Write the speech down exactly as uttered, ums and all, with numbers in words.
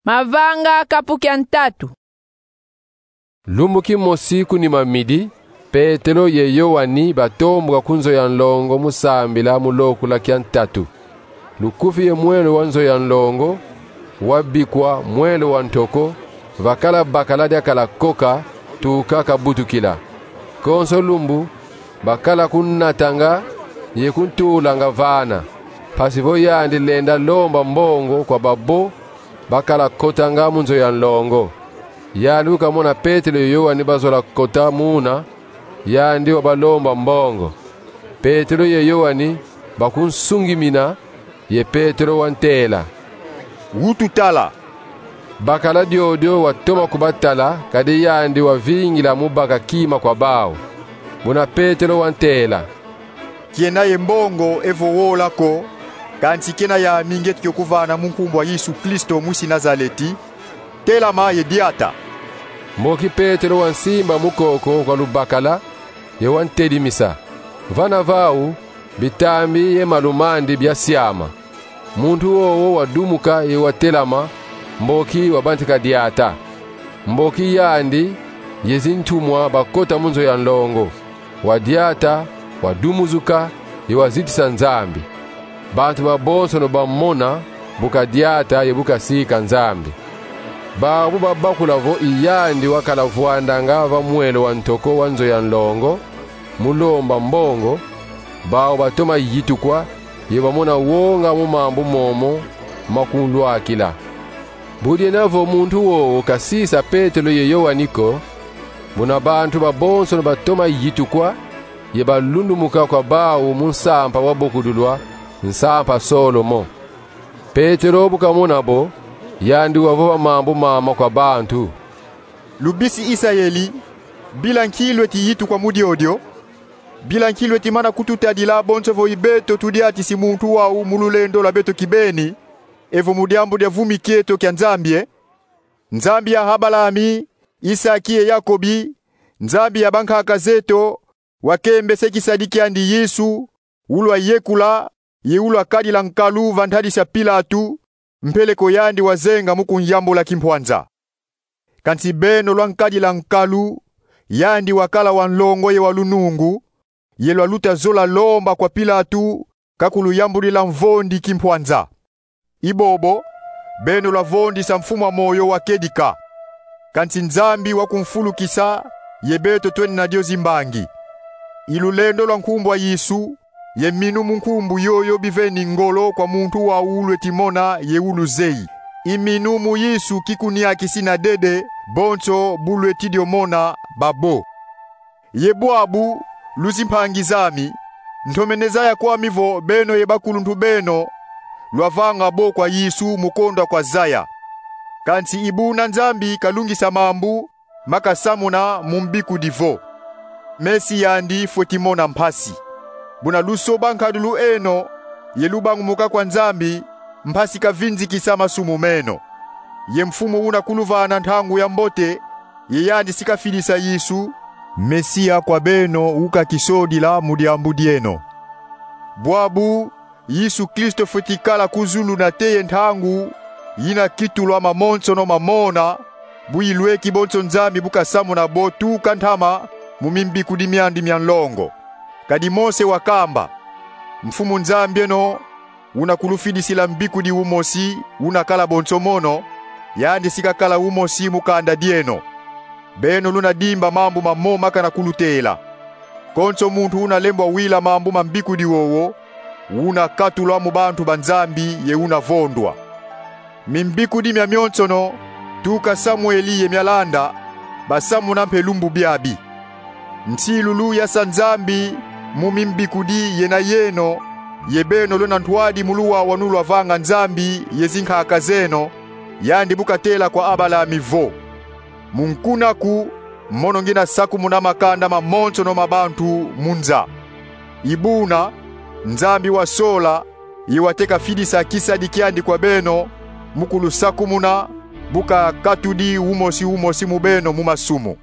Mavanga kapu kia ntatu. Lumbu kimosi ku nima midi, Petelo ye Yoani batomboka ku nzo ya nlongo mu sambila mu lokula kia ntatu. Lukufi ye mwelo wa nzo ya nlongo, wabikwa mwelo wa ntoko, vakala bakala diakala koka, tuka kabutukila. Konso lumbu, bakala kunatanga ye kuntulanga vana, mpasi vo yandi lenda lomba mbongo kwa babo bakala kotanga mu nzo ya nlongo. Yandi bu kamona Petelo ye Yoani bazola kota muna, yandi wabalomba mbongo. Petelo ye Yoani bakunsungimina, ye Petelo wantela: Wutu tala. Bakala diodio watoma kubatala, kadi yandi wavingila mu baka kima kwa bau. Buna Petelo wantela: Kiena ye mbongo evo wola ko, kansi kiena yami ngieti kio kuvana mu nkumbu a Yesu Kristo mwisi Nazaleti, telama ye diata. Mboki Petelo wansimba mukoko kwa lubakala, ye wantedimisa. Vana vau, bitambi ye malumandi biasiama. Muntu wowo wadumuka ye watelama, mboki wabantika diata. Mboki yandi ye zintumwa bakota mu nzo ya nlongo. Wadiata, wadumuzuka, ye wazitisa Nzambi. Bantu babonsono bamona bu kadiata ye bu kasika Nzambi. Bau bu babakula vo i yandi wakala vwandanga va mwelo wa ntoko wa nzo ya nlongo, mu lomba mbongo, bau batoma yitukwa, ye bamona wonga mu mambu momo makunlwakila. Bu diena vo muntu wowo kasisa Petelo ye Yoani ko, buna bantu babonsono batoma yitukwa, ye balundumuka kwa bau mu nsampa wabokudulwa, nsampa Solomo. Petelo bu kamona bo, yandi wavova mambu mama kwa bantu: Lubisi Isayeli, bila nki lweti yitukwa mu diodio? Bila nki lweti mana kututadila bonso vo i beto tudiatisi muntu wau mu lulendo lwa beto kibeni, evo mu diambu dia vumi kieto kia Nzambi, e? Nzambi ya Abalami, Isaki ye Yakobi, Nzambi ya bankaka zeto, wakembese kisadi kiandi Yesu, ulwayekula, ye ulwakadila nkalu va ntadisi a Pilatu, mpeleko yandi wazenga mu kunyambula kimpwanza. Kansi beno lwankadila nkalu, yandi wakala wa nlongo ye wa lunungu, ye lwaluta zola lomba kwa Pilatu kakuluyambudila mvondi kimpwanza. I bobo, beno lwavondisa mfumu a moyo wa kedika. Kansi Nzambi wakumfulukisa, ye beto twena dio zimbangi. I lulendo lwa nkumbu a Yesu, ye minu mu nkumbu yoyo biveni ngolo kwa muntu wau ulweti mona ye uluzeyi. I minu mu Yesu kikuniakisi na dede bonso bu lweti dio mona babo. Ye bwabu, luzimpangi zami, ntomene zaya kwami vo beno ye bakuluntu beno lwavanga bo kwa Yesu mu kondwa kwa zaya. Kansi i buna Nzambi kalungisa mambu ma kasamuna mu mbikudi vo: Mesi yandi fweti mona mpasi. Buna lusoba nkadulu eno, ye lubangumuka kwa Nzambi, mpasi kavinzikisa masumu meno. Ye Mfumu una kuluvana ntangu ya mbote, ye yandi si kafidisa Yesu, Mesia kwa beno, ukakisodila mu diambu dieno. Bwabu, Yesu Kristo fweti kala ku zulu nate ye ntangu yina kitulwa mamonsono mamona, bu ilweki bonso Nzambi bu kasamuna bo tuka ntama mu mimbikudi miandi mia nlongo. Kadi Mose wakamba: Mfumu Nzambi eno, una kulufidisila mbikudi umosi una kala bonso mono, yandi si kakala umosi mu kanda dieno. Beno luna dimba mambu mamo makana kulutela. Konso muntu una lembwa wila mambu ma mbikudi wowo, una katulwa mu bantu ba Nzambi ye una vondwa. Mimbikudi miamionsono, tuka Samueli ye mialanda, basamuna mpe lumbu biabi. Nsilulu yasa Nzambi mu mimbikudi yena yeno, ye beno lwena ntwadi mu luwawanu lwavanga Nzambi ye zinkaka zeno, yandi bu katela kwa Abalami vo: Mu nkunaku, mono ngina sakumuna makanda mamonsono ma bantu mu nza. I buna, Nzambi wasola, ye wateka fidisa kisadi kiandi kwa beno, mu kulusakumuna, bu kakatudi umosi umosi mu beno mu masumu.